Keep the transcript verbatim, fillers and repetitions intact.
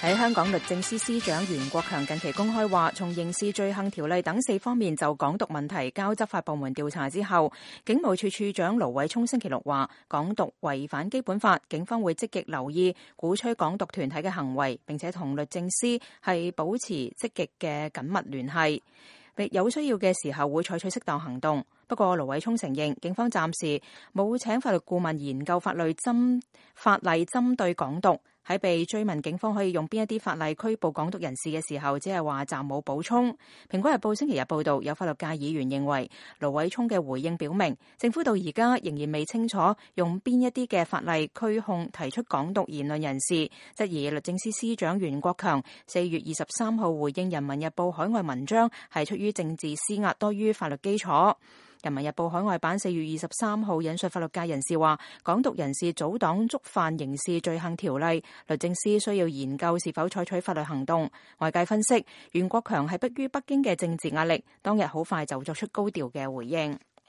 喺香港律政司司長袁國強近期公開話，從刑事罪行條例等四方面就港獨問題交執法部門調查之後，警務處處長盧偉聰星期六話，港獨違反基本法，警方會積極留意鼓吹港獨團體嘅行為，並且同律政司係保持積極嘅緊密聯繫，有需要嘅時候會採取適當行動。不過盧偉聰承認，警方暫時冇請法律顧問研究法律針法例針對港獨。喺被追問警方可以用邊一啲法例拘捕港獨人士嘅時候，只係話暫冇補充。蘋果日報星期日報道，有法律界議員認為盧偉聰嘅回應表明，政府到而家仍然未清楚用邊一啲嘅法例拘控提出港獨言論人士，質疑律政司司長袁國強四月二十三號回應人民日報海外文章係出於政治施壓多於法律基礎。人民日報海外版四月二十三號引述法律界人士話，港獨人士組黨觸犯刑事罪行條例，律政司需要研究是否採取法律行動。外界分析，袁國強係迫於北京嘅政治壓力，當日好快就作出高調嘅回應。